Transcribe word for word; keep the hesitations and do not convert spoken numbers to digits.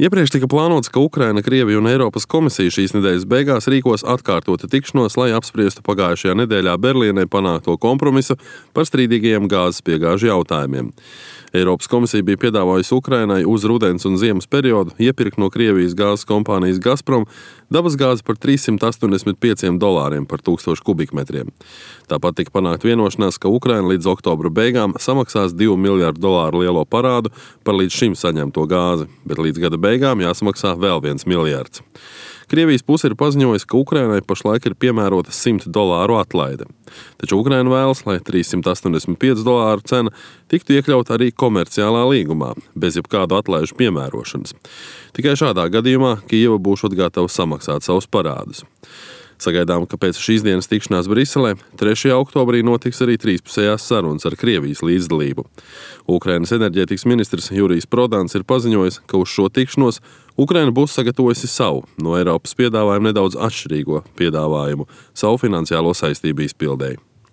Iepriekš tika plānots, ka Ukraina, Krievija un Eiropas komisija šīs nedēļas beigās rīkos atkārtotu tikšanos, lai apspriestu pagājušajā nedēļā Berlīnē panākto kompromisu par strīdīgajiem gāzes piegāžu jautājumiem. Eiropas komisija bija piedāvājusi Ukrainai uz rudens un ziemas periodu iepirkt no Krievijas gāzes kompānijas Gazprom dabas gāzi par trīs simti astoņdesmit pieciem dolāriem par tūkstošu kubikmetriem. Tāpat tika panākt vienošanās, ka Ukraina līdz oktobra beigām samaksās divu miljardu dolāru lielo parādu par līdz šim saņemto gāzi, bet līdz gada beigām jāsamaksā vēl viens miljards. Krievijas puse ir paziņojusi, ka Ukrainai pašlaik ir piemērota simt dolāru atlaide. Taču Ukraina vēlas, lai trīs simti astoņdesmit pieci dolāru cena tiktu iekļauta arī komerciālā līgumā, bez jebkādu atlaižu piemērošanas. Tikai šādā gadījumā Kijeva būs gatava samaksāt savus parādus. Sagaidām, ka pēc šīs dienas tikšanās Briselē trešajā oktobrī notiks arī trīspusējās sarunas ar Krievijas līdzdalību. Ukrainas enerģētikas ministrs Jurijs Prodans ir paziņojis, ka uz šo tikšanos Ukraina būs sagatavojusi savu, no Eiropas piedāvājumu nedaudz atšķirīgo piedāvājumu savu finansiālo saistību izpildēji.